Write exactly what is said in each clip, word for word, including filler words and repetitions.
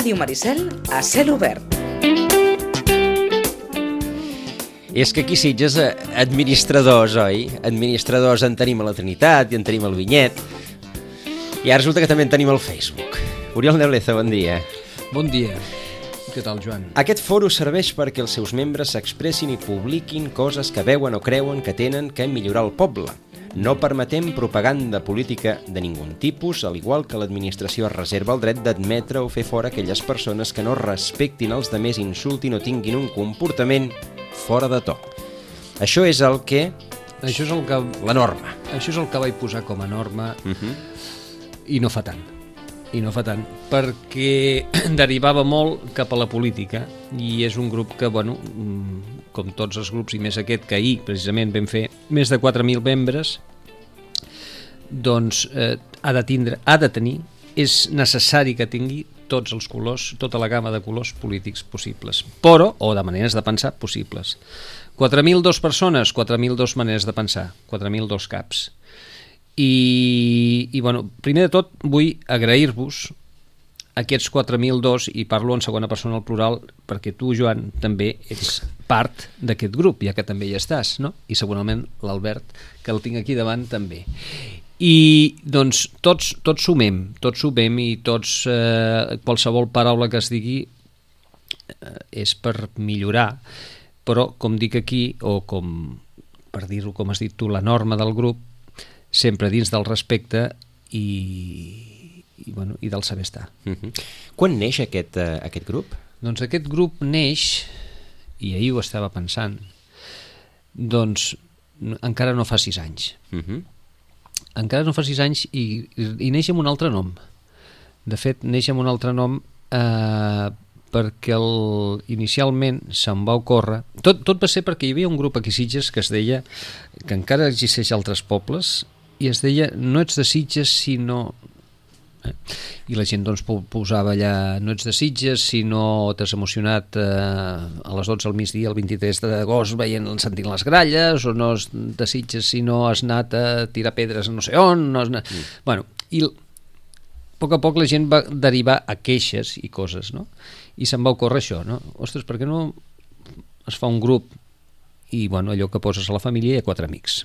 Ràdio Maricel a cel obert. És que aquí a Sitges, administradors, oi? Administradors en tenim a la Trinitat i en tenim al Vinyet. I ara resulta que també en tenim al Facebook. Oriol Nebleza, bon dia. Bon dia. Què tal, Joan? Aquest foro serveix perquè els seus membres s'expressin i publiquin coses que veuen o creuen que tenen que millorar el poble. No permetem propaganda política de ningun tipus, al igual que l'administració reserva el dret d'admetre o fer fora aquelles persones que no respectin els demés, insultin o tinguin un comportament fora de to. Això és el que... Això és el que... La norma. Això és el que vaig posar com a norma Uh-huh. i no fa tant. I no fa tant, perquè derivava molt cap a la política i és un grup que, bueno, com tots els grups i més aquest que ahir precisament vam fer més de quatre mil membres, doncs eh, ha de tindre, ha de tenir, és necessari que tingui tots els colors, tota la gamma de colors polítics possibles, però, o de maneres de pensar possibles. quatre mil dos persones, quatre mil dos maneres de pensar, quatre mil dos caps. I, i bueno, primer de tot vull agrair-vos aquests quatre mil dos, i parlo en segona persona al plural perquè tu, Joan, també ets part d'aquest grup, ja que també hi estàs, no? I segurament l'Albert, que el tinc aquí davant, també. I doncs tots, tots sumem, tots sumem i tots, eh, qualsevol paraula que es digui eh, és per millorar, però com dic aquí, o com per dir-ho com has dit tu, la norma del grup, sempre dins del respecte i, i, bueno, i del saber estar. Uh-huh. Quan neix aquest, uh, aquest grup? Doncs aquest grup neix, i ahir ho estava pensant, doncs encara no fa sis anys. Uh-huh. Encara no fa sis anys i, i neix amb un altre nom. De fet, neix amb un altre nom eh, perquè el, inicialment se'm va ocórrer... Tot, tot va ser perquè hi havia un grup aquí a Sitges que es deia, que encara existeix a altres pobles, i es deia no ets de Sitges sinó... Eh? I la gent doncs posava allà no ets de Sitges si no t'has emocionat eh, a les dotze al migdia el vint-i-tres d'agost veient, sentint les gralles, o no és de Sitges si no has anat a tirar pedres a no sé on, no has anat... Mm. Bueno, i a poc a poc la gent va derivar a queixes i coses, no? I se'm va ocórrer això, no? Ostres, per què no es fa un grup i, bueno, allò que poses a la família hi ha quatre amics.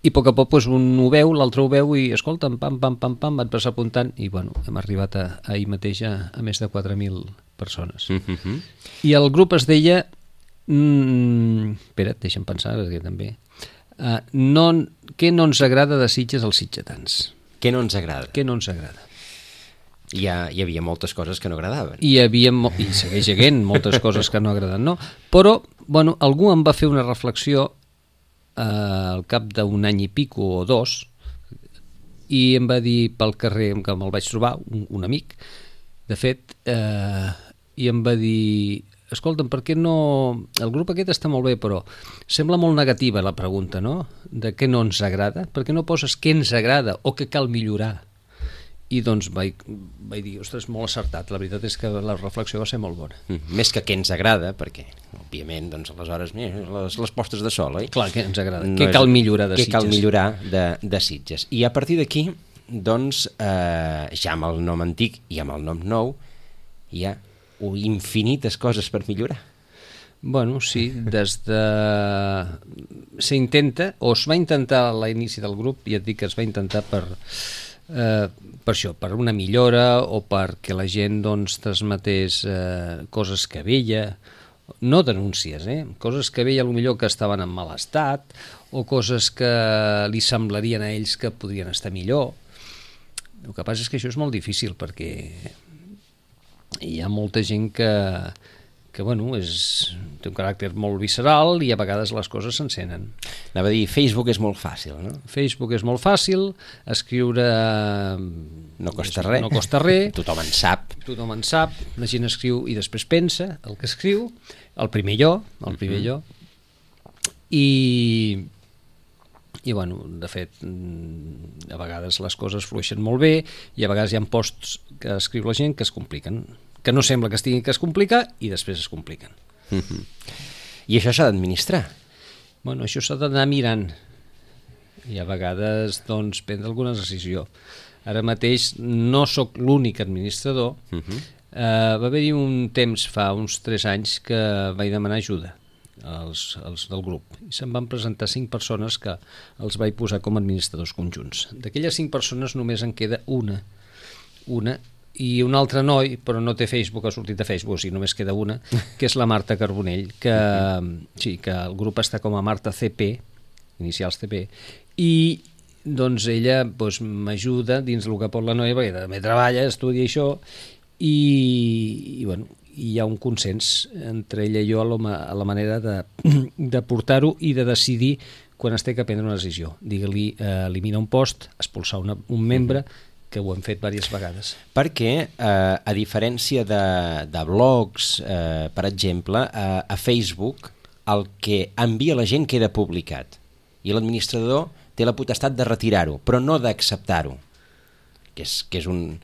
I a poc a poc doncs, un ho veu, l'altre ho veu i escolta, pam, pam, pam, pam, van passar apuntant i bueno, hem arribat a, a ahir mateix a, a més de quatre mil persones. Uh-huh. I el grup es deia mm, espera't, deixa'm pensar perquè també uh, no, què no ens agrada de Sitges als sitgetans? Què no ens agrada? Què no ens agrada? Hi, ha, hi havia moltes coses que no agradaven. Hi havia, i segueix havent moltes coses que no agraden, no? Però, bueno, algú em va fer una reflexió eh, al cap d'un any i pico o dos i em va dir pel carrer que me'l vaig trobar, un, un amic, de fet, eh, i em va dir escolta'm, per què no... El grup aquest està molt bé, però sembla molt negativa la pregunta, no? De què no ens agrada. Per què no poses què ens agrada o què cal millorar? I doncs vaig, vaig dir, ostres, molt acertat. La veritat és que la reflexió va ser molt bona. Mm, més que què ens agrada, perquè, òbviament, doncs, aleshores, mira, les, les postes de sol, oi? Clar, què ens agrada. No què cal millorar de què Sitges? Què cal millorar de, de Sitges. I a partir d'aquí, doncs, eh, ja amb el nom antic i amb el nom nou, hi ha infinites coses per millorar. Bueno, sí, des de... S'intenta, o es va intentar a l'inici del grup, ja et dic que es va intentar per... Eh, per això, per una millora o perquè la gent doncs transmetés eh, coses que veia, no denúncies, eh? Coses que veia potser que estaven en mal estat o coses que li semblarien a ells que podrien estar millor. El que passa és que això és molt difícil perquè hi ha molta gent que, que bueno, és, té un caràcter molt visceral i a vegades les coses s'encenen. Anava a dir, Facebook és molt fàcil, no? Facebook és molt fàcil, escriure no costa res, no costa res. Tothom en sap. Tothom en sap, la gent escriu i després pensa el que escriu, el primer jo, el primer jo, i, i bueno, de fet, a vegades les coses flueixen molt bé i a vegades hi ha posts que escriu la gent que es compliquen, que no sembla que es tinguin que es complicar i després es compliquen. Uh-huh. I això s'ha d'administrar. Bueno, això s'ha d'anar mirant i a vegades doncs prendre alguna decisió. Ara mateix no sóc l'únic administrador. Uh-huh. Uh, va haver-hi un temps, fa uns tres anys, que vaig demanar ajuda als, als del grup. I se'm van presentar cinc persones que els vaig posar com a administradors conjunts. D'aquelles cinc persones només en queda una, una i un altre noi, però no té Facebook, ha sortit a Facebook, o sigui, només queda una, que és la Marta Carbonell, que, sí, que el grup està com a Marta C P, inicials C P, i doncs ella doncs, m'ajuda dins el que pot la noia, perquè també treballa, estudia això, i, i bueno, hi ha un consens entre ella i jo a la, a la manera de, de portar-ho i de decidir quan es té que prendre una decisió. Digue-li, eh, elimina un post, expulsar una, un membre, que ho hem fet diverses vegades. Perquè, eh, a diferència de, de blogs, eh, per exemple, eh, a Facebook el que envia la gent queda publicat i l'administrador té la potestat de retirar-ho, però no d'acceptar-ho, que és, que és un...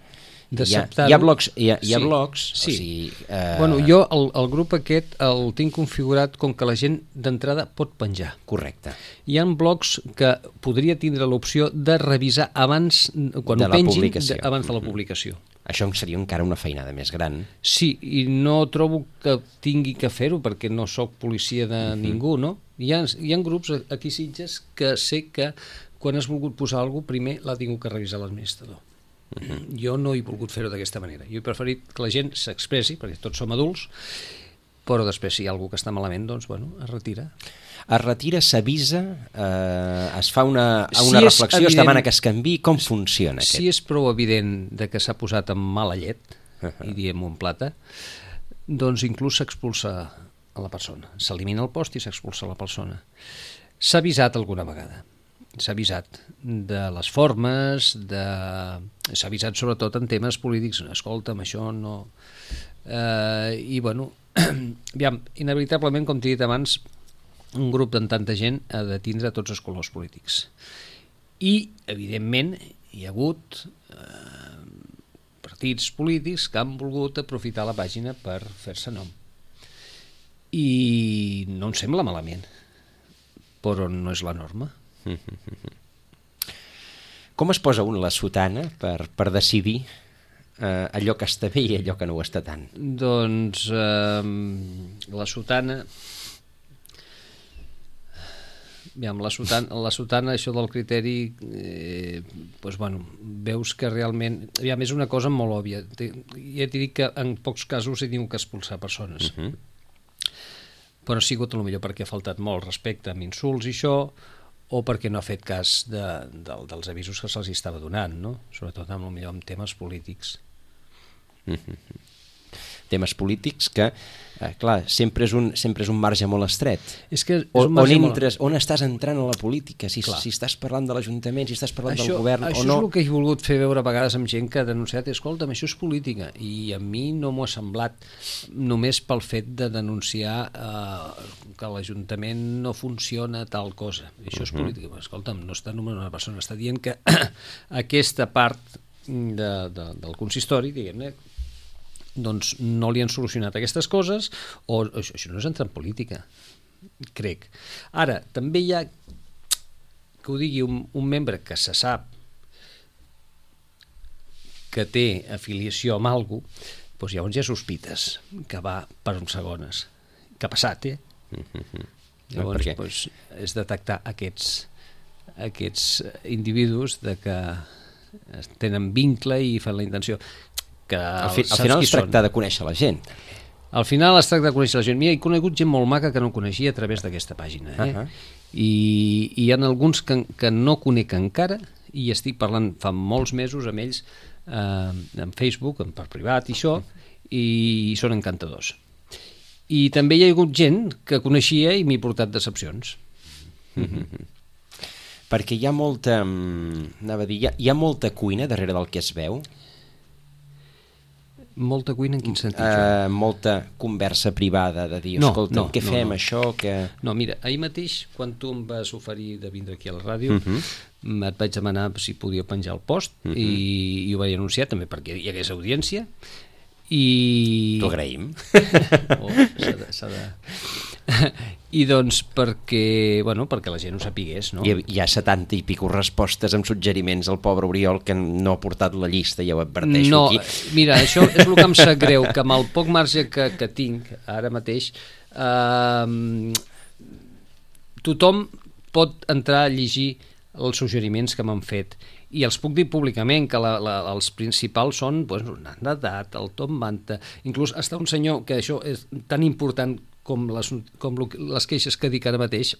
Hi ha, hi ha blogs, hi ha, hi ha sí, blogs sí. O sigui, eh... bueno, jo el, el grup aquest el tinc configurat com que la gent d'entrada pot penjar. Correcte. Hi ha blogs que podria tindre l'opció de revisar abans, quan de ho pengin, publicació. De, abans de la publicació. Això seria encara una feinada més gran. Sí, i no trobo que tingui que fer-ho perquè no sóc policia de uh-huh. ningú, no? Hi ha, hi ha grups aquí a Sitges que sé que quan has volgut posar alguna cosa, primer l'ha tingut que revisar l'administrador. Uh-huh. Jo no he volgut fer-ho d'aquesta manera. Jo he preferit que la gent s'expressi, perquè tots som adults, però després si hi ha algú que està malament, doncs, bueno, es retira. Es retira, s'avisa, eh, es fa una, una si reflexió, evident, es demana que es canviï. Com funciona aquest? Si és prou evident de que s'ha posat amb mala llet, uh-huh. i diem-ho en plata, doncs inclús s'expulsa a la persona. S'elimina el post i s'expulsa la persona. S'ha avisat alguna vegada. S'ha avisat de les formes, de... s'ha avisat sobretot en temes polítics. Escolta'm, això no... Eh, I, bueno, aviam, inevitablement, com t'he dit abans, un grup de tanta gent ha de tindre tots els colors polítics. I, evidentment, hi ha hagut eh, partits polítics que han volgut aprofitar la pàgina per fer-se nom. I no em sembla malament, però no és la norma. Com es posa un la sotana per, per decidir eh, allò que està bé i allò que no ho està tant? Doncs eh, la sotana... Aviam, la sotana, la sotana, això del criteri, eh, doncs, bueno, veus que realment... Aviam, és una cosa molt òbvia. Ja t'he dit que en pocs casos he tingut que expulsar persones. Uh-huh. Però ha sigut potser perquè ha faltat molt respecte amb insults i això, o perquè no ha fet cas de, de, dels avisos que se'ls estava donant, no? Sobretot amb, potser, amb temes polítics. Mm-hmm. Temes polítics que, eh, clar, sempre és, un, sempre és un marge molt estret. És que és o, un marge on, entres, molt... on estàs entrant a la política, si, si estàs parlant de l'Ajuntament, si estàs parlant això, del govern això o no. Això és el que he volgut fer veure a vegades amb gent que ha denunciat, escolta'm, això és política, i a mi no m'ho ha semblat només pel fet de denunciar eh, que l'Ajuntament no funciona tal cosa. Això és uh-huh. política. Escolta'm, no està nomenant una persona, està dient que aquesta part de, de, del consistori, diguem-ne, doncs no li han solucionat aquestes coses, o això, això no és entrar en política, crec. Ara, també hi ha, que ho digui un, un membre que se sap que té afiliació amb algú, doncs llavors ja sospites que va per uns segones. Que ha passat, eh? Mm-hmm. Llavors, no, doncs, és detectar aquests, aquests individus de que tenen vincle i fan la intenció. Que al, fi, al final es tracta són. de conèixer la gent. Al final es tracta de conèixer la gent. Mira, he conegut gent molt maca que no coneixia a través d'aquesta pàgina. Eh? Uh-huh. I, I hi ha alguns que, que no conec encara i estic parlant fa molts mesos amb ells eh, en Facebook, per privat i això, i són encantadors. I també hi ha hagut gent que coneixia i m'he portat decepcions. Mm-hmm. Perquè hi ha molta, anava a dir, hi ha, hi ha molta cuina darrere del que es veu. Molta cuina en quin sentit? Uh, molta conversa privada de dir, no, escolta, no, què no, fem, no. això? Que... No, mira, ahir mateix, quan tu em vas oferir de vindre aquí a la ràdio, uh-huh. et vaig demanar si podia penjar el post, uh-huh. i, i ho vaig anunciar també perquè hi hagués audiència, i... T'ho agraïm. Oh, s'ha de... S'ha de... I doncs perquè, bueno, perquè la gent ho sapigués, no? Hi ha, hi ha setanta i pico respostes amb suggeriments al pobre Oriol que no ha portat la llista, ja ho adverteixo no, aquí. Mira, això és el que em sap greu, que amb el poc marge que, que tinc ara mateix, eh, tothom pot entrar a llegir els suggeriments que m'han fet i els puc dir públicament que la, la, els principals són pues, Nadat, el Tom Manta, inclús està un senyor que això és tan important com les, com les queixes que dic ara mateix,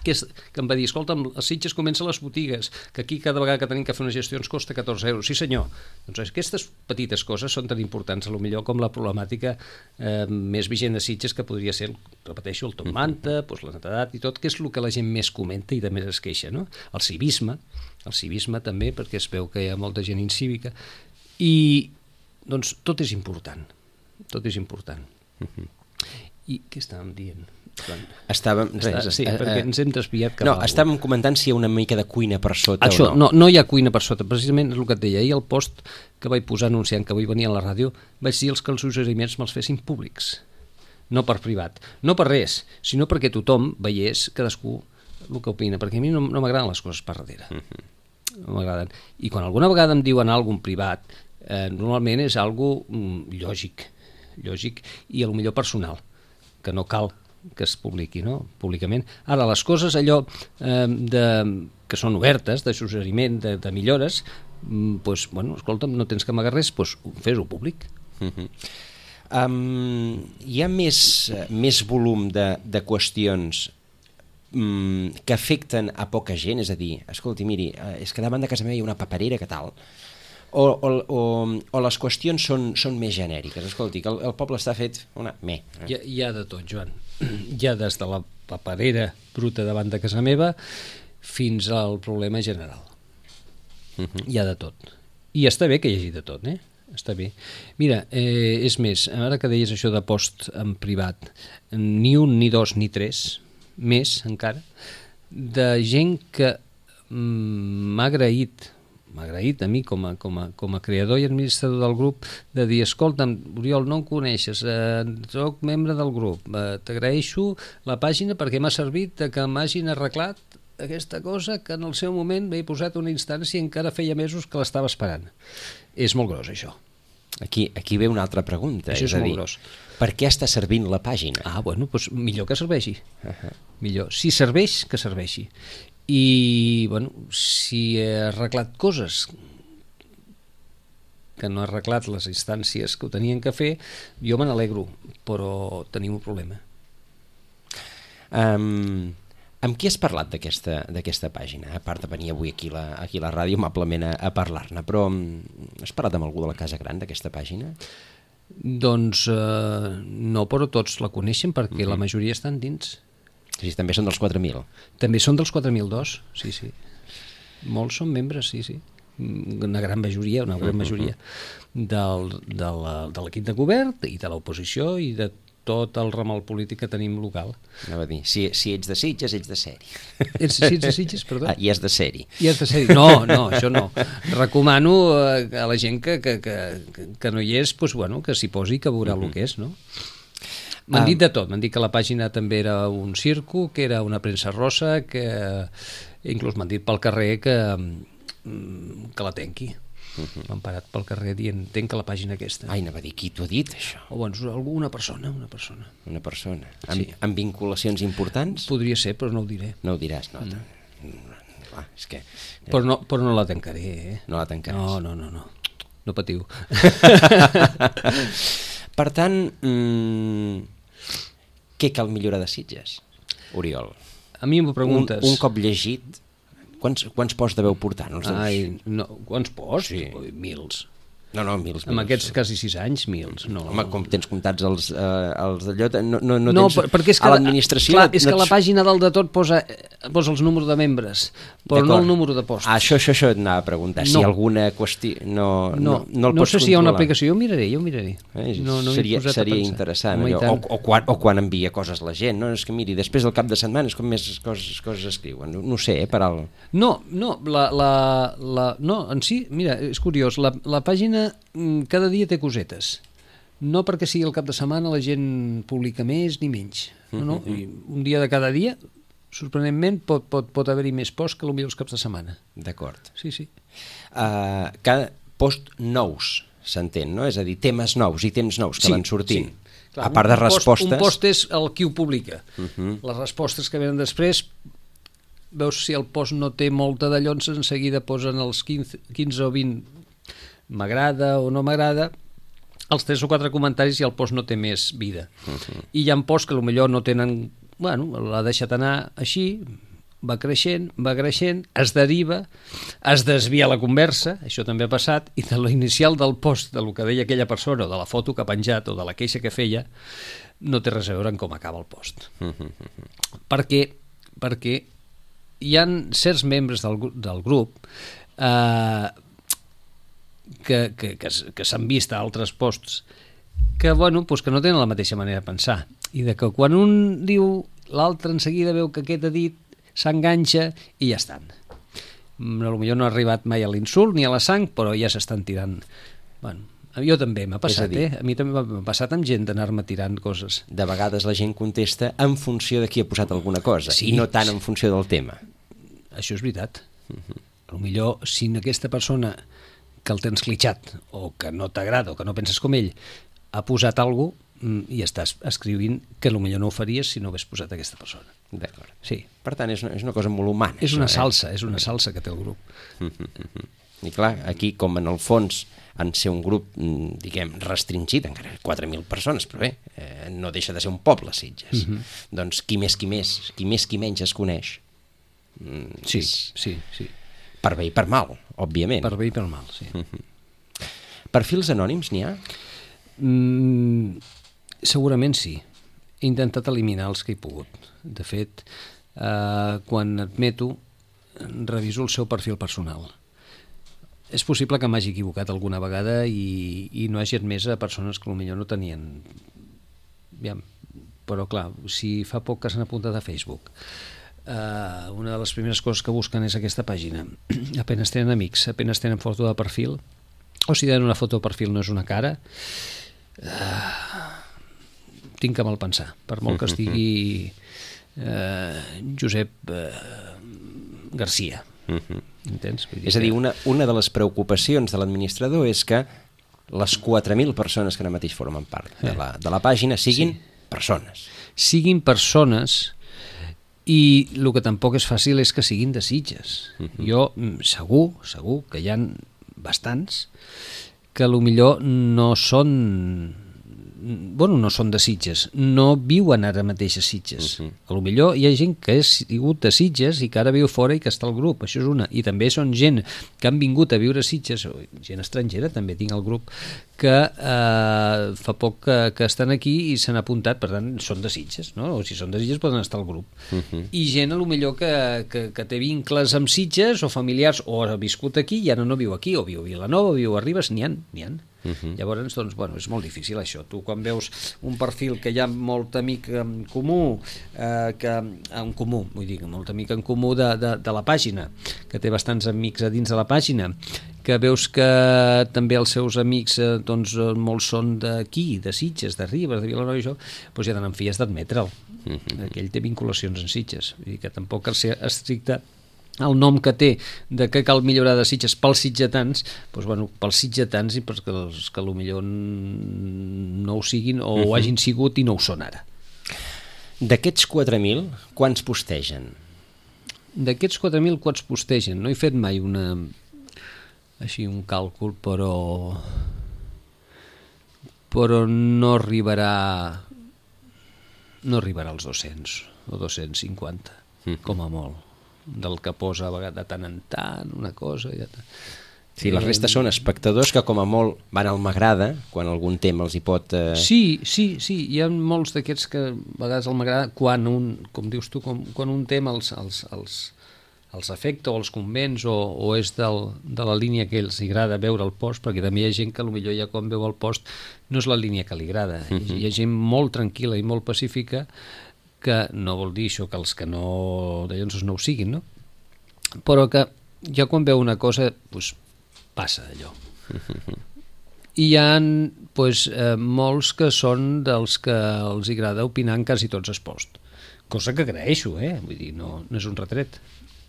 que, és, que em va dir, escolta, a Sitges comencen les botigues, que aquí cada vegada que tenim que fer unes gestions costa catorze euros. Sí senyor, doncs aquestes petites coses són tan importants a lo millor com la problemàtica eh, més vigent de Sitges, que podria ser, repeteixo, el Tom Manta, doncs la netedat i tot, que és el que la gent més comenta i de més es queixa, no? El civisme, el civisme també, perquè es veu que hi ha molta gent incívica, i doncs tot és important, tot és important. Uh-huh. I què estàvem dient? Estàvem, res, sí, eh, perquè ens hem desviat cap no, a estàvem comentant si hi ha una mica de cuina per sota això, o no. no. No hi ha cuina per sota, precisament és el que et deia. Ahir el post que vaig posar anunciant que avui venia a la ràdio vaig dir els que els suggeriments me'ls fessin públics, no per privat, no per res, sinó perquè tothom veiés cadascú el que opina, perquè a mi no, no m'agraden les coses per darrere. Uh-huh. No m'agraden. I quan alguna vegada em diuen alguna cosa privat, eh, normalment és algo mm, lògic, lògic i a lo millor personal, que no cal que es publiqui, no? Públicament. Ara, les coses allò eh, de, que són obertes, de suggeriment, de, de millores, mm, pues, bueno, escolta'm, no tens que amagar res, pues, fes-ho públic. Uh-huh. um, hi ha més, més volum de, de qüestions um, que afecten a poca gent, és a dir, escolti, miri, és que davant de casa meva hi ha una paperera, que tal? O, o, o, o les qüestions són, són més genèriques. Escolti, que el, el poble està fet una... Me. Hi ha, hi ha de tot, Joan. Hi ha des de la paperera bruta davant de casa meva fins al problema general. Uh-huh. Hi ha de tot. I està bé que hi hagi de tot, eh? Està bé. Mira, eh, és més, ara que deies això de post en privat, ni un, ni dos, ni tres, més encara, de gent que mm, m'ha agraït m'ha agraït a mi com a, com, a, com a creador i administrador del grup de dir, escolta'm, Oriol, no em coneixes, eh, soc membre del grup, eh, t'agraeixo la pàgina perquè m'ha servit que m'hagin arreglat aquesta cosa que en el seu moment m'he posat una instància i encara feia mesos que l'estava esperant. És molt gros, això. Aquí, aquí ve una altra pregunta. Això és, és a molt dir, gros. Per què està servint la pàgina? Ah, bueno, doncs millor que serveixi. Uh-huh. Millor. Si serveix, que serveixi. I, bueno, si he arreglat coses que no he arreglat les instàncies que ho tenien que fer, jo me n'alegro, però tenim un problema. Um, amb qui has parlat d'aquesta d'aquesta pàgina? A part de venir avui aquí a la, aquí a la ràdio amablement a, a parlar-ne, però um, has parlat amb algú de la Casa Gran d'aquesta pàgina? Doncs eh, no, però tots la coneixen perquè uh-huh. la majoria estan dins. Sí, també són dels quatre mil. També són dels quatre mil dos, sí, sí. Molts són membres, sí, sí. Una gran majoria, una gran majoria del, de l'equip de govern i de l'oposició i de tot el ramal polític que tenim local. Anava a dir, si, si ets de Sitges, ets de sèrie. Ets, si ets de Sitges, perdó? Ah, i és de sèrie. I és de sèrie. No, no, això no. Recomano a la gent que, que, que, que no hi és, pues, bueno, que s'hi posi i que veurà uh-huh. el que és, no? M'han dit de tot, m'han dit que la pàgina també era un circo, que era una premsa rosa, que inclús m'han dit pel carrer que, que la tenqui. Uh-huh. M'han parat pel carrer dient, tenca la pàgina aquesta. Ai, anava a dir, qui t'ho ha dit, això? O bueno, alguna persona, una persona. Una persona. Amb, Sí. amb vinculacions importants? Podria ser, però no ho diré. No ho diràs, no. Mm. Clar, és que... Però no, però no la tancaré, eh? No la tancaràs. No, no, no, no. No patiu. Per tant, mmm, què cal millorar de Sitges, Oriol? A mi m'ho preguntes. Un, un cop llegit, quants, quants posts deveu portar? No els deus... Ai, no, quants posts? Sí. Ui, mils. No, no, mils, Amb mils. aquests quasi sis anys, mils. No. Home, com tens comptats els, eh, els d'allò, no, no, no, No, tens... perquè és que, a l'administració... clar, no és que ets- la pàgina dalt de tot posa, posa els números de membres, però no D'acord. el número de posts. Ah, això, això, això et anava a preguntar, si No. alguna qüestió... No, no, no, no, no el no pots sé si hi ha una controlar. aplicació, jo ho miraré, jo ho miraré. Eh, no, no m'hi he seria posat a seria pensar. interessant, Home, i allò. tant. O, o, quan, o quan envia coses la gent, no? És que miri, després del cap de setmana és com més coses, coses escriuen, no, no ho sé, eh, per al... No, no, la, la, la, no, en si, mira, és curiós, la, la pàgina mm, cada dia té cosetes, no perquè sigui el cap de setmana la gent publica més ni menys. No, no. I un dia de cada dia, sorprenentment, pot, pot, pot haver-hi més posts que potser els caps de setmana. D'acord. Sí, sí. Uh, cada post nous, s'entén, no? És a dir, temes nous i temps nous que Sí, van sortint. sí. Clar, a part de un post, respostes... un post és el qui ho publica. Uh -huh. Les respostes que venen després, veus si el post no té molta d'allons, en seguida posen els quinze, quinze o vint m'agrada o no m'agrada, els tres o quatre comentaris i el post no té més vida. Uh -huh. I hi ha posts que potser no tenen... Bueno, l'ha deixat anar així, va creixent, va creixent, es deriva, es desvia la conversa, això també ha passat, i de l'inicial del post, de lo que deia aquella persona, o de la foto que ha penjat, o de la queixa que feia, no té res a veure amb com acaba el post. Uh -huh. Perquè, perquè hi ha certs membres del, del grup eh, que, que, que, que s'han vist a altres posts que, bueno, doncs que no tenen la mateixa manera de pensar, i de que quan un diu, l'altre en seguida veu que aquest ha dit, s'enganxa i ja estan. Potser no ha arribat mai a l'insult ni a la sang, però ja s'estan tirant. Bueno, a jo també m'ha passat, dir, eh? A mi també m'ha passat amb gent d'anar-me tirant coses. De vegades la gent contesta en funció de qui ha posat alguna cosa, sí, i no tant en funció del tema. Això és veritat. Uh-huh. Potser si aquesta persona que el tens clitxat, o que no t'agrada, o que no penses com ell, ha posat alguna cosa, i estàs escrivint que potser no ho faries si no hagués posat aquesta persona. D'acord. Sí. Per tant, és una, és una cosa molt humana. És una això, salsa, eh? és una salsa que té el grup. Uh -huh. I clar, aquí, com en el fons en ser un grup, diguem, restringit, encara quatre mil persones, però bé, eh, no deixa de ser un poble, Sitges. Uh -huh. Doncs qui més qui més, qui més qui menys es coneix. Mm, sí, és... sí, sí. Per bé i per mal, òbviament. Per bé i per mal, sí. Uh -huh. Perfils anònims n'hi ha? Mm, segurament sí. He intentat eliminar els que he pogut. De fet, eh, quan admeto, reviso el seu perfil personal. És possible que m'hagi equivocat alguna vegada i, i no hagi admès a persones que potser no tenien... Ja, però clar, si fa poc que s'han apuntat a Facebook, eh, una de les primeres coses que busquen és aquesta pàgina. Apenas tenen amics, apenas tenen foto de perfil, o si tenen una foto de perfil no és una cara... Eh, tinc que mal pensar, per molt que estigui eh, Josep eh, Garcia. Uh-huh. Entens? Vull dir és a dir, que... una, una de les preocupacions de l'administrador és que les quatre mil persones que ara mateix formen part de la, de la pàgina siguin sí. persones. Siguin persones, i el que tampoc és fàcil és que siguin de Sitges. Uh-huh. Jo, segur, segur que hi ha bastants que potser no són... bueno, no són de Sitges, no viuen ara mateix a Sitges. Uh-huh. A lo millor hi ha gent que ha sigut de Sitges i que ara viu fora i que està al grup, això és una. I també són gent que han vingut a viure a Sitges, o gent estrangera, també tinc al grup, que eh, fa poc que, que estan aquí i s'han apuntat, per tant, són de Sitges, no? O si són de Sitges poden estar al grup. Uh-huh. I gent a lo millor que, que, que té vincles amb Sitges o familiars, o ha viscut aquí i ara no viu aquí, o viu a Vilanova, o viu a Ribes, n'hi ha, n'hi ha. Uh-huh. Llavors, doncs, bueno, és molt difícil això. Tu quan veus un perfil que hi ha molt amic en comú, eh, que, en comú, vull dir, molt amic en comú de, de, de la pàgina, que té bastants amics a dins de la pàgina, que veus que també els seus amics eh, doncs, molts són d'aquí, de Sitges, de Ribes, de Vilanova i això, doncs ja tenen fies d'admetre'l. Uh-huh. Aquell té vinculacions en Sitges, vull dir que tampoc cal ser estricte el nom que té de que cal millorar de Sitges pels sitgetans, doncs, bueno, pels sitgetans i perquè els que potser no ho siguin o uh-huh. ho hagin sigut i no ho són ara. D'aquests quatre mil, quants postegen? D'aquests quatre mil, quants postegen? No he fet mai una... així un càlcul, però... però no arribarà... no arribarà als dos-cents o dos-cents cinquanta, uh-huh. com a molt. Del que posa a vegades de tant en tant una cosa i ja tant. Sí, la resta són espectadors que com a molt van al m'agrada quan algun tema els hi pot... Eh... Sí, sí, sí, hi ha molts d'aquests que a vegades el m'agrada quan un, com dius tu, com, quan un tema els, els, els, els afecta o els convenç o, o és del, de la línia que els agrada veure el post, perquè també hi ha gent que potser ja quan veu el post no és la línia que li agrada. Uh-huh. Hi ha gent molt tranquil·la i molt pacífica que no vol dir això que els que no de llavors no ho siguin, no? Però que ja quan veu una cosa doncs passa allò. i hi ha pues, eh, molts que són dels que els agrada opinar en quasi tots els posts, cosa que agraeixo, eh? Vull dir, no, no és un retret.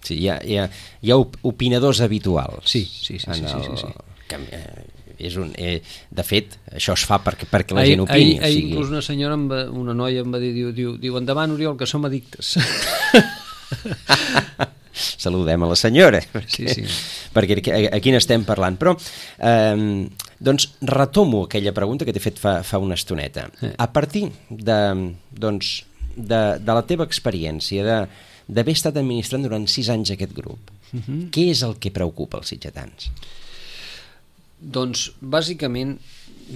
Sí, hi ha, hi ha, hi ha opinadors habituals. Sí, sí, sí. sí, sí, sí, sí. Que, eh, és un, eh, de fet, això es fa perquè, perquè la gent opini. Ahir, ahir o sigui... inclús una senyora, em va, una noia em va dir, diu, diu, diu endavant, Oriol, que som addictes. Saludem a la senyora, perquè, sí, sí. perquè aquí n'estem parlant. Però, eh, doncs, retomo aquella pregunta que t'he fet fa, fa una estoneta. Eh. A partir de, doncs, de, de la teva experiència, de, d'haver estat administrant durant sis anys aquest grup, uh-huh. què és el que preocupa els sitgetans? Doncs, bàsicament,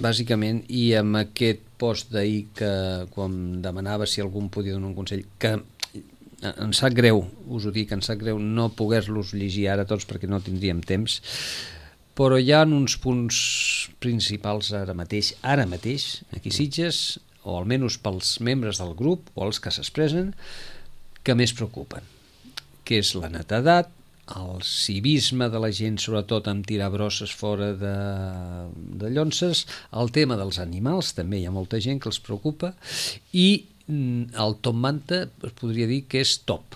bàsicament, i amb aquest post d'ahir que quan demanava si algú em podia donar un consell, que em sap greu, us ho dic, em sap greu no poder-los llegir ara tots perquè no tindríem temps, però hi ha uns punts principals ara mateix, ara mateix, aquí Sitges, o almenys pels membres del grup o els que s'expressen, que més preocupen, que és la netedat, el civisme de la gent, sobretot amb tirar brosses fora de, de llonces, el tema dels animals, també hi ha molta gent que els preocupa, i el top manta es podria dir que és top,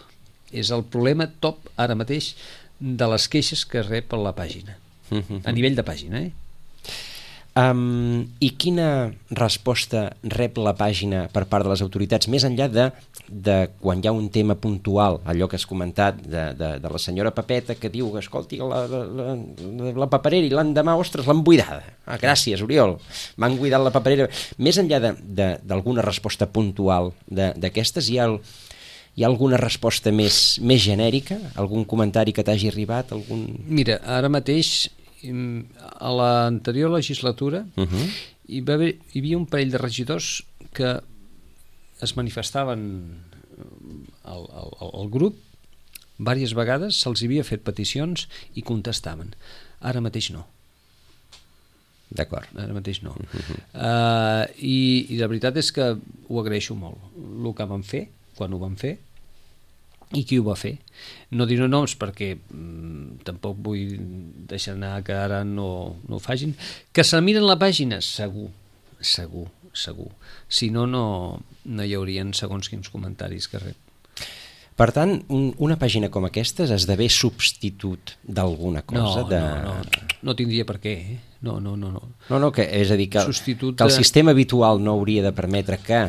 és el problema top ara mateix de les queixes que rep a la pàgina, a nivell de pàgina, eh? Um, I quina resposta rep la pàgina per part de les autoritats, més enllà de, de quan hi ha un tema puntual, allò que has comentat de, de, de la senyora Pepeta que diu, escolti, la, la, la, la paperera i l'endemà, ostres, l'han buidada. Ah, gràcies, Oriol, m'han buidat la paperera. Més enllà d'alguna resposta puntual d'aquestes, hi ha, hi ha alguna resposta més, més genèrica? Algun comentari que t'hagi arribat? Algun... Mira, ara mateix, a l'anterior legislatura, uh-huh. hi, va haver, hi havia un parell de regidors que es manifestaven al, al, al grup diverses vegades, se'ls havia fet peticions i contestaven. Ara mateix no. D'acord. Ara mateix no. Uh-huh. Uh, i, I la veritat és que ho agraeixo molt. El que van fer, quan ho van fer, i qui ho va fer. No diré noms perquè mm, tampoc vull deixar anar que ara no, no ho facin. Que se miren la pàgina? Segur, segur, segur. Si no, no, no hi haurien segons quins comentaris que rep. Per tant, un, una pàgina com aquesta esdevé substitut d'alguna cosa? No, de... no, no, no tindria per què, eh? No, no, no, no. No, no, que, és a dir, que, substitut que el de... sistema habitual no hauria de permetre que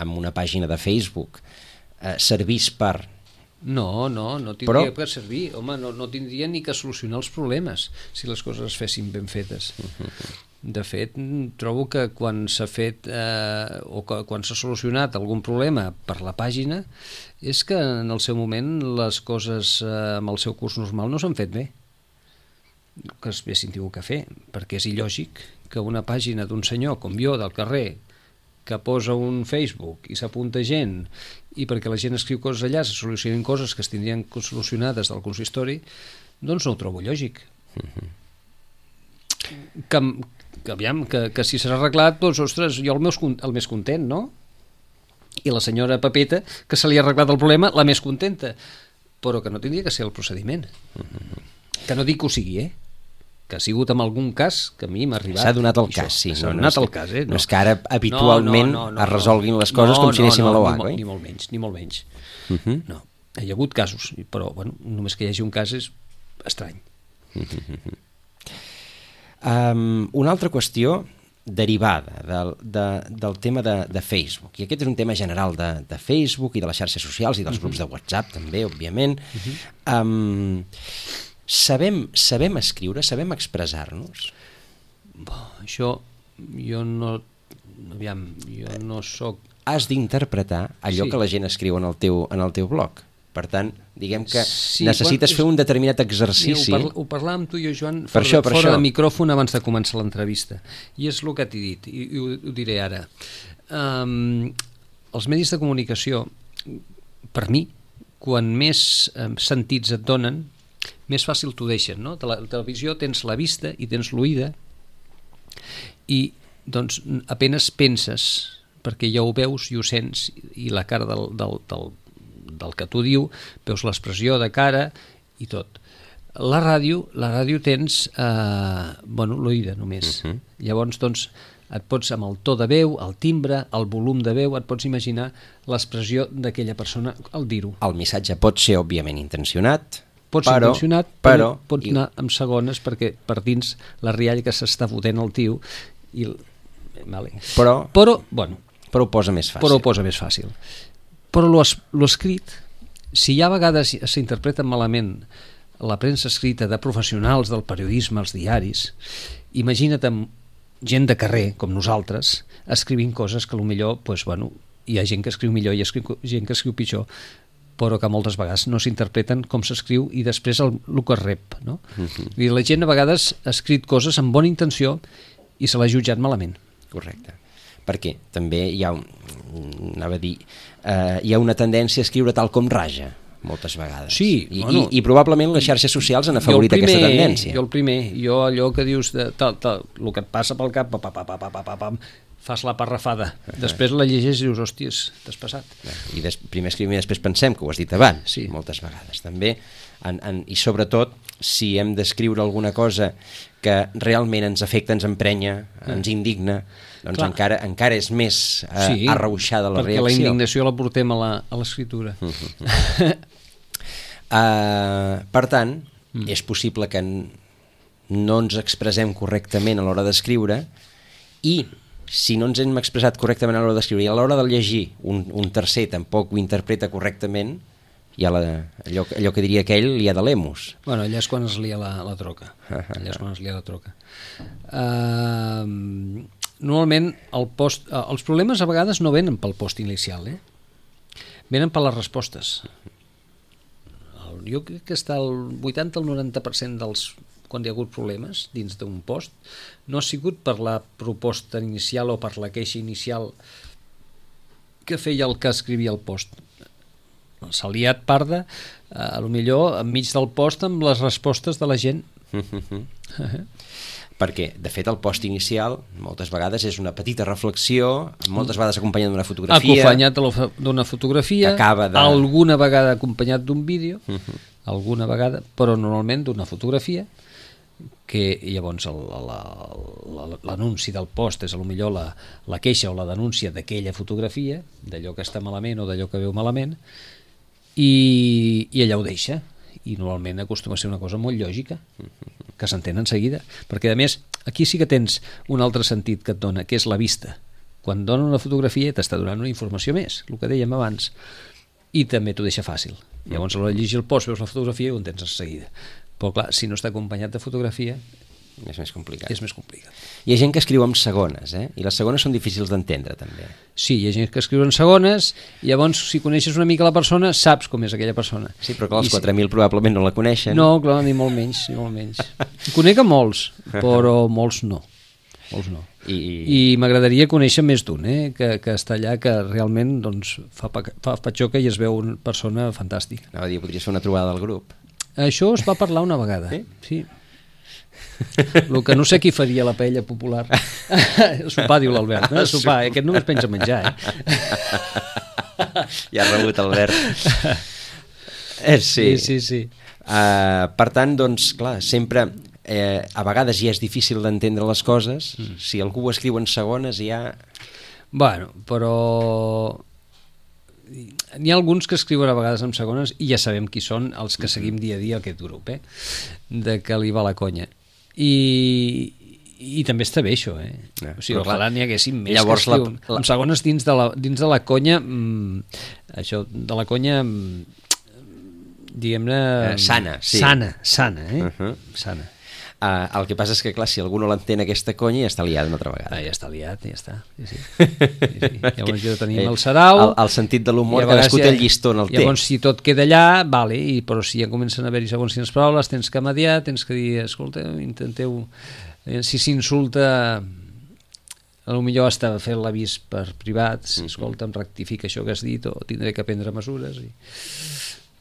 amb una pàgina de Facebook eh, servís per... No, no, no tindria Però... per servir. Home, no, no tindria ni que solucionar els problemes si les coses es fessin ben fetes. De fet, trobo que quan s'ha fet eh, o que, quan s'ha solucionat algun problema per la pàgina és que en el seu moment les coses eh, amb el seu curs normal no s'han fet bé, que es haguessin tingut que fer, perquè és il·lògic que una pàgina d'un senyor com jo del carrer que posa un Facebook i s'apunta gent i perquè la gent escriu coses allà se solucionin coses que es tindrien solucionades del consistori, doncs no ho trobo lògic. Uh-huh. que, que, aviam, que, que si s'ha arreglat, doncs, ostres, jo el, meu, el més content, no? I la senyora Pepeta, que se li ha arreglat el problema, la més contenta, però que no tindria que ser el procediment. Uh-huh. Que no dic que ho sigui, eh? Que ha sigut en algun cas que a mi m'ha arribat. S'ha donat el cas, sí. S'ha no, donat no el cas, eh? No, no és que ara habitualment no, no, no, no, es resolguin les coses no, com si anéssim no, no, a l'O A, ni, oi? Ni molt menys, ni molt menys. Uh-huh. No, hi ha hagut casos, però bueno, només que hi hagi un cas és estrany. Uh-huh. Um, una altra qüestió derivada del, de, del tema de, de Facebook, i aquest és un tema general de, de Facebook i de les xarxes socials i dels uh-huh. grups de WhatsApp també, òbviament. Uh-huh. um, sabem, sabem escriure, sabem expressar-nos? Bo, això jo no aviam, jo no soc... Has d'interpretar allò sí. que la gent escriu en el teu, en el teu blog. Per tant, diguem que sí, necessites quan... fer un determinat exercici. Mira, ho, parla, ho parlàvem tu i jo, Joan, per fora, això, per fora això. de micròfon abans de començar l'entrevista. I és el que t'he dit, i, i ho, ho diré ara. Um, els medis de comunicació, per mi, quan més um, sentits et donen, més fàcil t'ho deixen, no? De la televisió tens la vista i tens l'oïda i doncs apenes penses, perquè ja ho veus i ho sents, i la cara del, del, del, del que tu diu, veus l'expressió de cara i tot. La ràdio, la ràdio tens eh, bueno, l'oïda només. Uh -huh. Llavors, doncs, et pots, amb el to de veu, el timbre, el volum de veu, et pots imaginar l'expressió d'aquella persona al dir-ho. El missatge pot ser, òbviament, intencionat, Pot ser però, intencionat, però, però pots anar amb segones perquè per dins la rialla que s'està fotent el tio i... Vale. Però, però, bueno, però ho posa més fàcil. però ho posa més fàcil. Però lo, es, lo escrit, si hi ha vegades s'interpreta malament la premsa escrita de professionals del periodisme, els diaris, imagina't amb gent de carrer, com nosaltres, escrivint coses que potser, pues, bueno, hi ha gent que escriu millor i escriu, gent que escriu pitjor, però que moltes vegades no s'interpreten com s'escriu i després el, el que es rep, no? Uh-huh. I la gent a vegades ha escrit coses amb bona intenció i se l'ha jutjat malament. Correcte. Perquè també hi ha, un, anava a dir, eh, hi ha una tendència a escriure tal com raja, moltes vegades. Sí, I, bueno, i, i probablement les xarxes socials han afavorit primer, aquesta tendència. Jo el primer, jo allò que dius, de, tal, tal, el que et passa pel cap, pa, pa, pa, pa, pa, pa, pa, fas la parrafada, després la llegeix i dius, hòsties, t'has passat. I des, primer escrivim i després pensem, que ho has dit abans, sí. moltes vegades. També, en, en, i sobretot, si hem d'escriure alguna cosa que realment ens afecta, ens emprenya, ens indigna, doncs encara, encara és més eh, sí, arrauixada la reacció. Perquè la indignació la portem a l'escriptura. Uh -huh. uh, per tant, mm. és possible que no ens expressem correctament a l'hora d'escriure i si no ens hem expressat correctament a l'hora d'escriure i a l'hora de llegir un, un tercer tampoc ho interpreta correctament, hi ha la, allò, allò que diria aquell, li ha de l'emus. Bueno, allà és quan es lia la, la troca. Allà és quan es lia la troca. Uh, normalment el post, uh, els problemes a vegades no venen pel post inicial, eh? Venen per les respostes. El, jo crec que està el vuitanta al noranta per cent dels quan hi ha hagut problemes dins d'un post no ha sigut per la proposta inicial o per la queixa inicial que feia el que escrivia el post. S'ha liat parda, eh, a lo millor enmig del post amb les respostes de la gent. Perquè, de fet, el post inicial moltes vegades és una petita reflexió, moltes vegades acompanyat d'una fotografia. Acompanyat d'una fotografia, de... alguna vegada acompanyat d'un vídeo, uh -huh. alguna vegada, però normalment d'una fotografia, que llavors l'anunci del post és potser la, la queixa o la denúncia d'aquella fotografia, d'allò que està malament o d'allò que veu malament, i, i allà ho deixa. I normalment acostuma a ser una cosa molt lògica, que s'entén en seguida, perquè a més aquí sí que tens un altre sentit que et dona, que és la vista. Quan dona una fotografia t'està donant una informació més, el que dèiem abans, i també t'ho deixa fàcil. Llavors a l'hora de llegir el post veus la fotografia i ho entens en seguida. Però clar, si no està acompanyat de fotografia és més complicat. És més complicat. Hi ha gent que escriu amb segones, eh? I les segones són difícils d'entendre, també. Sí, hi ha gent que escriu en segones, i llavors, si coneixes una mica la persona, saps com és aquella persona. Sí, però clar, els quatre mil probablement no la coneixen. No, clar, ni molt menys, ni molt menys. Conec a molts, però molts no. Molts no. I, I m'agradaria conèixer més d'un, eh? que, que està allà, que realment doncs, fa, fa patxoca i es veu una persona fantàstica. Anava a dir, podria ser una trobada del grup. Això es va parlar una vegada. Sí? Sí. El que no sé qui faria la paella popular. Sopar, diu l'Albert. No? Sopar, aquest només pensa menjar, eh? Ja ha rebut, Albert. Eh, sí. Sí, sí, sí. Uh, per tant, doncs, clar, sempre... Eh, a vegades ja és difícil d'entendre les coses. Mm. Si algú ho escriu en segones ja... Bueno, però... N'hi ha alguns que escriuen a vegades en segones i ja sabem qui són els que seguim dia a dia aquest grup, eh? De que li va la conya. I, i també està bé això, eh? No, o sigui, ojalà n'hi haguessin més que escriuen la... en segones dins de la, dins de la conya, mmm, això, de la conya, mmm, diguem-ne... Eh, sana, sí. Sana, sana, eh? Uh -huh. Sana. Uh, el que passa és que, clar, si algú no l'entén aquesta conya, ja està liat una altra vegada. Ah, ja està liat, ja està. Sí, sí. Sí, sí. Llavors jo tenim el sarau... El, el sentit de l'humor, cadascú té el llistó en el té. Llavors, si tot queda allà, vale, i, però si ja comencen a haver-hi segons quines paraules, tens que mediar, tens que dir, escolta, intenteu... Si s'insulta, potser està fent l'avís per privats, escolta, em rectifica això que has dit, o tindré que prendre mesures, i...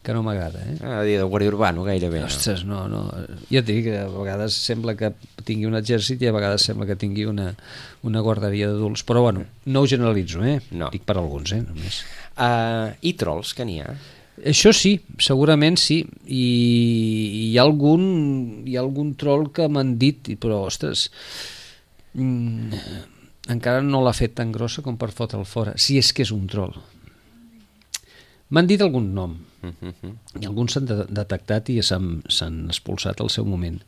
que no m'agrada, eh? Ah, dir de guàrdia urbano, gairebé. Ostres, no, no. Ja et dic que a vegades sembla que tingui un exèrcit i a vegades sembla que tingui una, una guarderia d'adults, però bueno, no ho generalitzo, eh? No. Dic per alguns, eh? Només. Uh, I trolls, que n'hi ha? Això sí, segurament sí, i hi ha algun, hi ha algun troll que m'han dit, però ostres, mm, encara no l'ha fet tan grossa com per fotre'l fora, si és que és un troll. M'han dit algun nom, i alguns s'han de detectat i s'han expulsat al seu moment,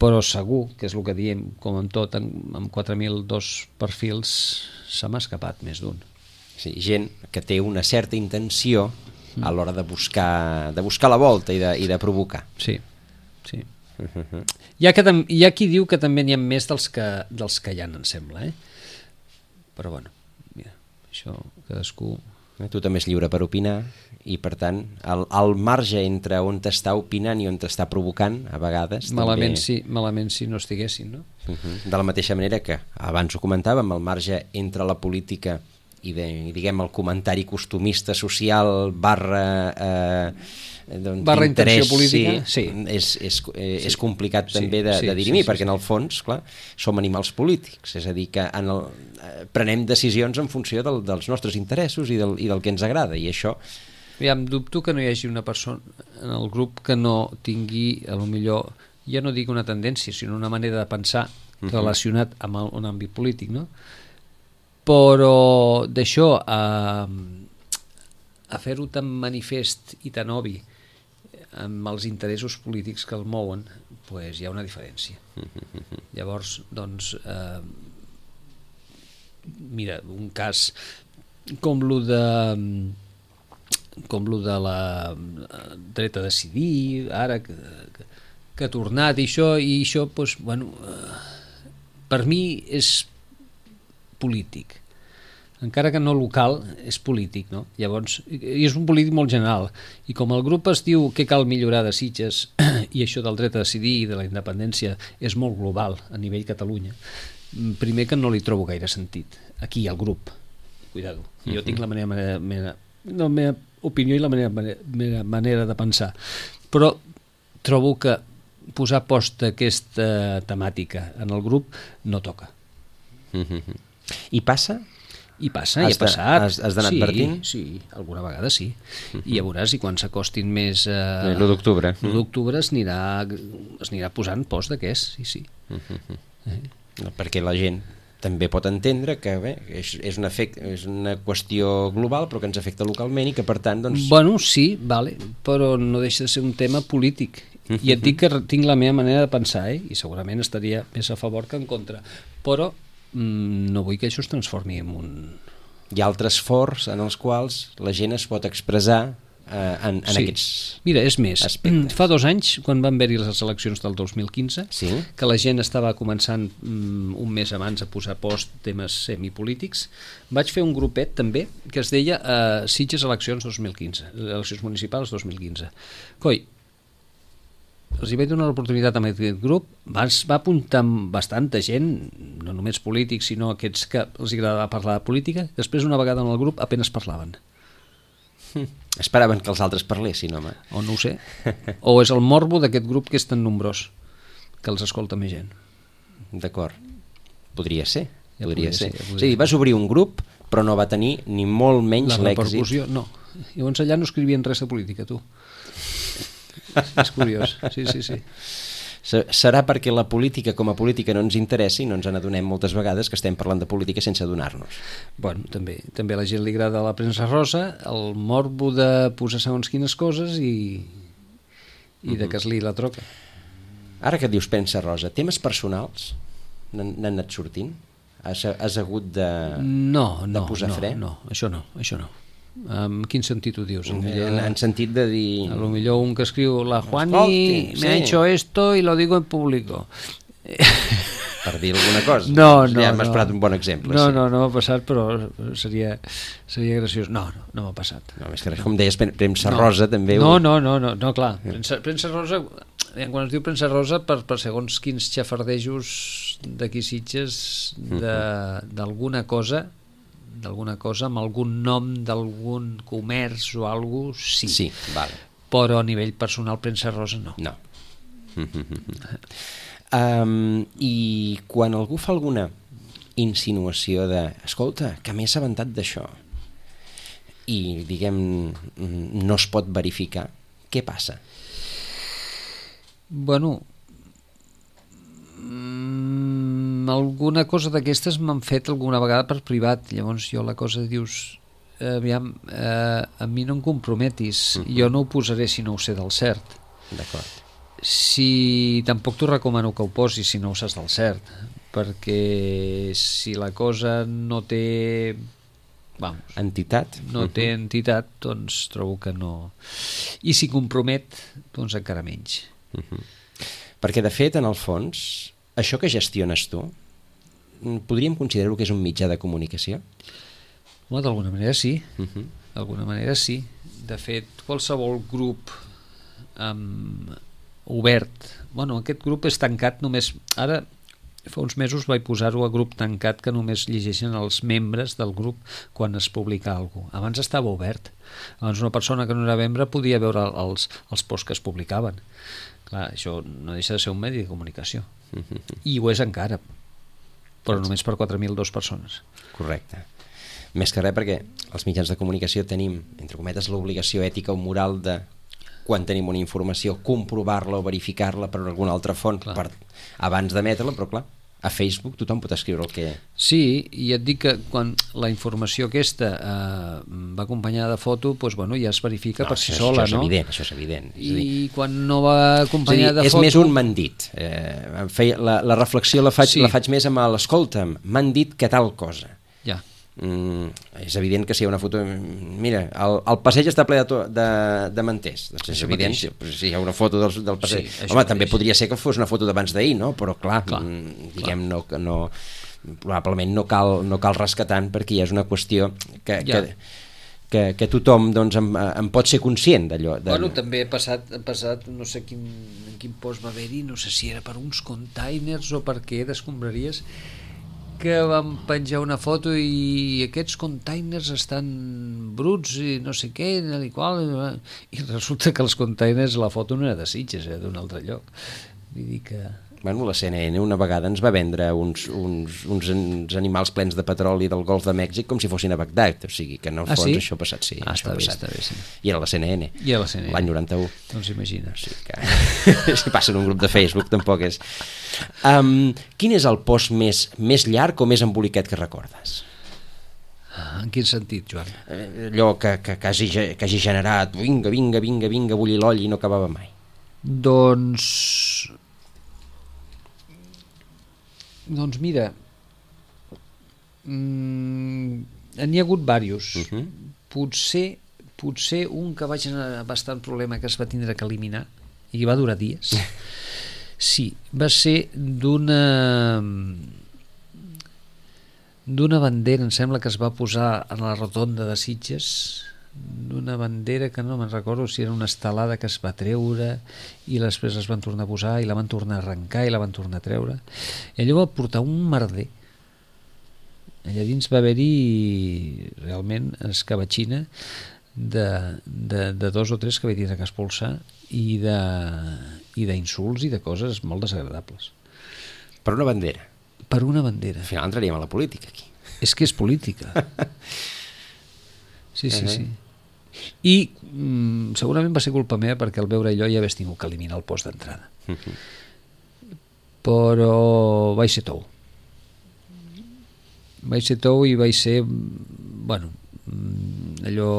però segur, que és el que diem, com en tot, amb quatre mil dos perfils se m'ha escapat més d'un. Sí, gent que té una certa intenció a l'hora de buscar de buscar la volta i de, i de provocar. Sí, sí. Uh-huh. Hi ha, que, hi ha qui diu que també n'hi ha més dels que, dels que hi ha, em sembla, eh? Però bueno, mira, això cadascú... Tu també és lliure per opinar i per tant el, el marge entre on t'està opinant i on t'està provocant a vegades malament, també... sí, malament si no estiguessin, no? Uh-huh. De la mateixa manera que abans ho comentàvem, el marge entre la política i, de, diguem, el comentari costumista social barra eh, doncs, barra intenció política, sí, sí. És, és, eh, sí. és complicat sí, també de, sí, de dirimir, sí, sí, perquè sí. en el fons, clar, som animals polítics, és a dir, que en el, eh, prenem decisions en funció del, dels nostres interessos i del, i del que ens agrada, i això... Ja em dubto que no hi hagi una persona en el grup que no tingui, a lo millor, ja no dic una tendència, sinó una manera de pensar uh-huh. relacionat amb el, un àmbit polític, no? Però d'això a, a fer-ho tan manifest i tan obvi amb els interessos polítics que el mouen, pues hi ha una diferència. Llavors, doncs, eh, mira, un cas com lo de com lo de la dret a decidir, ara que, que, que ha tornat i això, i això, pues, bueno, eh, per mi és polític, encara que no local, és polític, no? Llavors, i és un polític molt general, i com el grup es diu que cal millorar de Sitges i això del dret a decidir i de la independència és molt global a nivell Catalunya, primer que no li trobo gaire sentit aquí al grup, cuidado, jo tinc la meva, meva, meva, la meva opinió i la meva, meva manera de pensar, però trobo que posar post aquesta temàtica en el grup no toca. Mm-hmm. I passa? I passa, i ha passat. Has, has d'anar sí, advertint? Sí, alguna vegada sí. Uh-huh. I ja veuràs, i quan s'acostin més... Eh, l'u d'octubre. L'u d'octubre es anirà, es anirà posant post de què és, sí, sí. Uh-huh. Eh? No, perquè la gent també pot entendre que bé, és, és, un efecte, és una qüestió global però que ens afecta localment i que per tant... Doncs... Bueno, sí, vale, però no deixa de ser un tema polític. Uh-huh. I et dic que tinc la meva manera de pensar, eh? I segurament estaria més a favor que en contra. Però no vull que això es transformi en un... Hi ha altres fors en els quals la gent es pot expressar eh, en, en sí. aquests Mira, és més, aspectes. Fa dos anys, quan van haver-hi les eleccions del dos mil quinze, sí? que la gent estava començant um, un mes abans a posar post temes semipolítics, vaig fer un grupet també que es deia uh, Sitges eleccions dos mil quinze, eleccions municipals dos mil quinze. Coi, els hi vaig donar l'oportunitat amb aquest grup, va, va apuntar bastanta gent, no només polítics, sinó aquests que els agradava parlar de política. Després, una vegada en el grup, apenas parlaven. Hm. Esperaven que els altres parlessin, home. O no ho sé. O és el morbo d'aquest grup que és tan nombrós, que els escolta més gent. D'acord. Podria ser. Ja podria podria ser. ser, ja podria o sigui, vas obrir un grup, però no va tenir ni molt menys la l'èxit. repercussió, no. Llavors allà no escrivien res de política, tu. És curiós, sí, sí, sí. Serà perquè la política com a política no ens interessa i no ens n'adonem moltes vegades que estem parlant de política sense adonar-nos. Bueno, també, també a la gent li agrada la premsa rosa, el morbo de posar segons quines coses i, i uh-huh. de que es li la troca. Ara que dius premsa rosa, temes personals n'han anat sortint? Has, has hagut de, no, no, de posar no, fre? No, això no, això no. En quin sentit ho dius? En, en, en sentit de dir... A lo millor un que escriu la Juani Escolti, me sí. ha hecho esto y lo digo en público. Per dir alguna cosa. No, no, ja m'has no. posat un bon exemple. No, sí. no, no m'ha passat, però seria, seria graciós. No, no, no m'ha passat. No, és que com deies, premsa no. rosa també... No, ho... no, no, no, no, clar. Premsa, premsa rosa, quan es diu premsa rosa, per, per segons quins xafardejos d'aquí Sitges d'alguna cosa d'alguna cosa, amb algun nom d'algun comerç o alguna cosa, sí. Sí, vale. Però a nivell personal premsa rosa no. No. um, I quan algú fa alguna insinuació de escolta, que m'he assabentat d'això, i, diguem, no es pot verificar, què passa? Bueno, mm, alguna cosa d'aquestes m'han fet alguna vegada per privat, llavors jo la cosa dius, aviam, eh, a mi no em comprometis, uh-huh. jo no ho posaré si no ho sé del cert. D'acord. Si tampoc t'ho recomano que ho posis si no ho saps del cert, perquè si la cosa no té... Vamos, entitat? No té uh-huh. entitat, doncs trobo que no... I si compromet, doncs encara menys. Uh-huh. Perquè, de fet, en el fons, això que gestiones tu, podríem considerar-ho que és un mitjà de comunicació? Bueno, d'alguna manera sí. Uh-huh. D'alguna manera sí. De fet, qualsevol grup um, obert... Bueno, aquest grup és tancat només... Ara... Fa uns mesos vaig posar-ho a grup tancat que només llegeixen els membres del grup quan es publica alguna cosa. Abans estava obert. Abans una persona que no era membre podia veure els, els posts que es publicaven. Clar, això no deixa de ser un medi de comunicació. Mm-hmm. I ho és encara, però només per quatre mil dues persones. Correcte. Més que res perquè els mitjans de comunicació tenim, entre cometes, l'obligació ètica o moral de, quan tenim una informació, comprovar-la o verificar-la per alguna altra font per, abans d'emetre-la, però clar, a Facebook tothom pot escriure el que... Sí, i et dic que quan la informació aquesta eh, va acompanyada de foto, doncs, bueno, ja es verifica no, per si això, sola, això no? És evident, això és evident. És I dir, quan no va acompanyada de és foto... És més un m'han dit. Eh, feia, la, la reflexió la faig, sí. la faig més amb l'escolta'm, m'han dit que tal cosa. Ja. Mm, és evident que si hi ha una foto, mira, el, el passeig està ple de, to, de, de manters, doncs és evident si, si hi ha una foto del, del passeig, sí, home, mateix. També podria ser que fos una foto d'abans d'ahir, no? Però clar, clar mm, diguem clar. No, no, probablement no cal, no cal rescatar tant perquè ja és una qüestió que, ja. que, que, que tothom doncs, en, en pot ser conscient d'allò. De... Bueno, també ha passat, ha passat no sé quin, en quin post va haver-hi, no sé si era per uns containers o per què d'escombraries, que vam penjar una foto i aquests containers estan bruts i no sé què i, qual, i resulta que els containers, la foto no era de Sitges, era d'un altre lloc. Vull dir que... Bueno, la C N N una vegada ens va vendre uns, uns, uns, uns animals plens de petroli del Golf de Mèxic com si fossin a Bagdad, o sigui que en el ah, fons sí? això ha passat, sí. Ah, està bé, passat. està bé, sí. I era la C N N, I era la C N N. L'any noranta-u. Doncs imagina. O sigui que si passa en un grup de Facebook tampoc és... Um, quin és el post més, més llarg o més embolicat que recordes? En quin sentit, Joan? Allò que, que, que, hagi, que hagi generat vinga, vinga, vinga, vinga, bullir l'oll i no acabava mai. Doncs... Doncs mira, mm, n'hi ha hagut diversos. Uh-huh. Potser, potser un que va generar bastant problema que es va tindre que eliminar i que va durar dies. Sí, va ser d'una d'una bandera, em sembla que es va posar a la rotonda de Sitges, d'una bandera que no me'n recordo si era una estelada que es va treure i després es van tornar a posar i la van tornar a arrencar i la van tornar a treure i allò va portar un merder. Allà dins va haver-hi realment escabatxina de, de, de dos o tres que vaig dir que expulsar i de i d'insults i de coses molt desagradables. Per una bandera? Per una bandera. Al final entraríem a la política aquí. És que és política. Sí, sí, sí. I mm, segurament va ser culpa meva perquè al veure allò ja hagués tingut que eliminar el post d'entrada. Uh-huh. Però vaig ser tou. Vaig ser tou i vaig ser, bueno, allò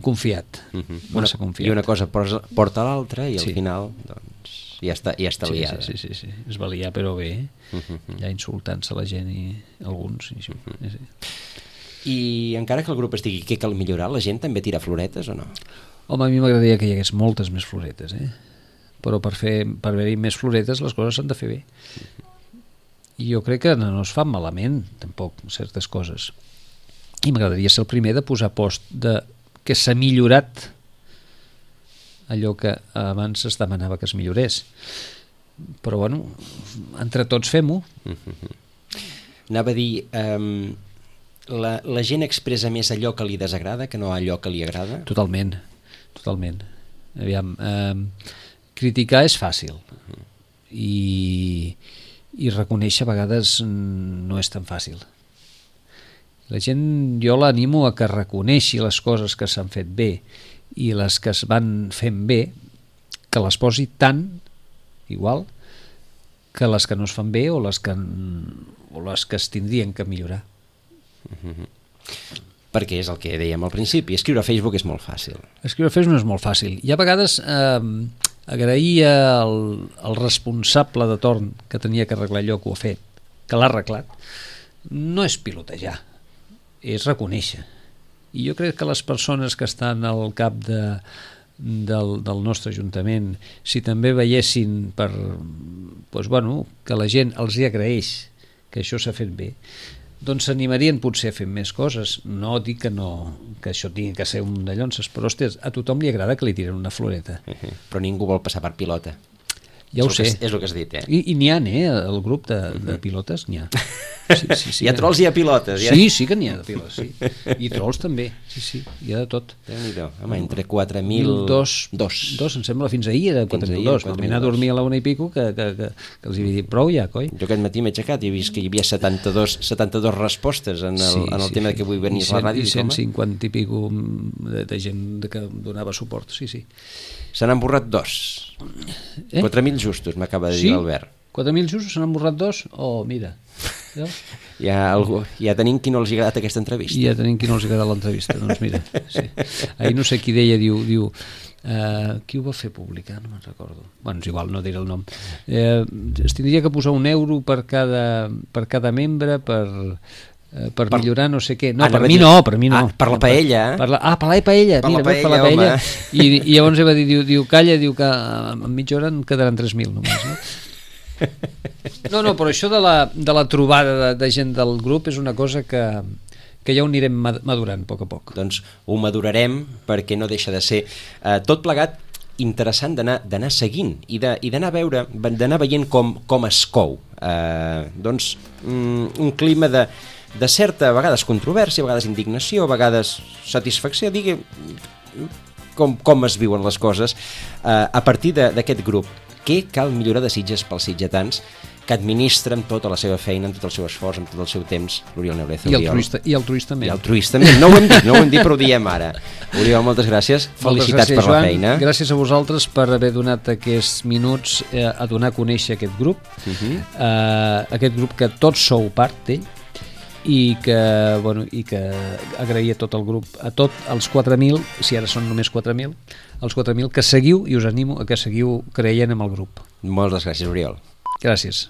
confiat, uh-huh. massa confiat. I una cosa porta a l'altra i al sí. final doncs, ja està, ja està sí, liada. Sí, sí, sí, sí. Es va liar però bé, uh-huh. ja insultant-se la gent i alguns. I, uh-huh. sí, sí. I encara que el grup estigui què cal millorar, la gent també tira floretes o no? Home, a mi m'agradaria que hi hagués moltes més floretes, eh? Però per fer per haver-hi més floretes les coses s'han de fer bé. I jo crec que no, no es fan malament, tampoc, certes coses. I m'agradaria ser el primer de posar post de que s'ha millorat allò que abans es demanava que es millorés. Però, bueno, entre tots fem-ho. Anava a dir... Um... La, la gent expressa més allò que li desagrada que no allò que li agrada? Totalment, totalment. Aviam, eh, criticar és fàcil uh-huh. i, i reconèixer a vegades no és tan fàcil. La gent, jo l'animo a que reconeixi les coses que s'han fet bé i les que es van fent bé, que les posi tant igual que les que no es fan bé o les que, o les que es tindrien que millorar. Mm-hmm. Perquè és el que dèiem al principi, escriure a Facebook és molt fàcil. Escriure a Facebook no és molt fàcil. I a vegades eh, agrair al, al responsable de torn que tenia que arreglar allò que ho ha fet, que l'ha arreglat, no és pilotejar, és reconèixer. I jo crec que les persones que estan al cap de, del, del nostre Ajuntament, si també veiessin per, doncs, bueno, que la gent els hi agraeix que això s'ha fet bé, doncs s'animarien potser a fer més coses. No dic que, no, que això tingui que ser un de llonces, però hòsties, a tothom li agrada que li tiren una floreta. Uh-huh. Però ningú vol passar per pilota. Ja ho és sé. Que, és el que has dit, eh? I, i n'hi ha, eh? El grup de, de pilotes n'hi ha. Sí, sí, sí, hi ha trolls i hi ha pilotes. Ja. Sí, sí que n'hi ha de pilotes, sí. I trolls també, sí, sí, hi ha de tot. Déu-n'hi-do, home, entre quatre mil... Dos, dos. Dos, em sembla, fins ahir era quatre mil dos. Vam anar a dormir a la una i pico que, que, que, que els havia dit prou ja, coi. Jo aquest matí m'he aixecat i he vist que hi havia setanta-dos, setanta-dos respostes en el, sí, en el sí, tema sí. que vull venir a la ràdio. I cent cinquanta i pico de, de gent que donava suport, sí, sí. Se n'han borrat dos. Eh? quatre mil justos, m'acaba de dir sí? l'Albert. quatre mil justos, se n'han borrat dos? Oh, mira. Ja? Ja, algú, ja tenim qui no els ha agradat aquesta entrevista. Ja tenim qui no els ha agradat l'entrevista, doncs mira. Sí. Ahir no sé qui deia, diu... diu Uh, qui ho va fer publicar? No me'n recordo. Bueno, és igual, no diré el nom. Uh, es tindria que posar un euro per cada, per cada membre per... Per, per millorar no sé què. No, ah, per mi no, per mi no. Ah, per la paella. Per, per la, ah, per la paella. Per Mira, la paella, per la paella. home. I, I llavors va dir, diu, diu, calla, diu que en mitja hora en quedaran tres mil només, no? No, no, però això de la, de la trobada de, de gent del grup és una cosa que, que ja ho anirem madurant a poc a poc. Doncs ho madurarem perquè no deixa de ser eh, tot plegat interessant d'anar seguint i d'anar a veure, d'anar veient com, com es cou. Eh, doncs mm, un clima de de certa, a vegades controvèrsia, a vegades indignació, a vegades satisfacció, digui com, com es viuen les coses eh, a partir d'aquest grup. Què cal millorar de Sitges pels sitgetans que administren tota la seva feina, amb tot el seu esforç, amb tot el seu temps, l'Oriol Nebreza. I altruistament. I altruistament. No ho hem dit, no ho hem dit, però ho diem ara. Oriol, moltes gràcies. Felicitats gràcies, per la Joan. feina. Gràcies a vosaltres per haver donat aquests minuts eh, a donar a conèixer aquest grup. Uh-huh. eh, aquest grup que tots sou part d'ell, i que, bueno, i que agrair a tot el grup, a tots els quatre mil, si ara són només quatre mil, els quatre mil que seguiu, i us animo a que seguiu creient en el grup. Moltes gràcies, Oriol. Gràcies.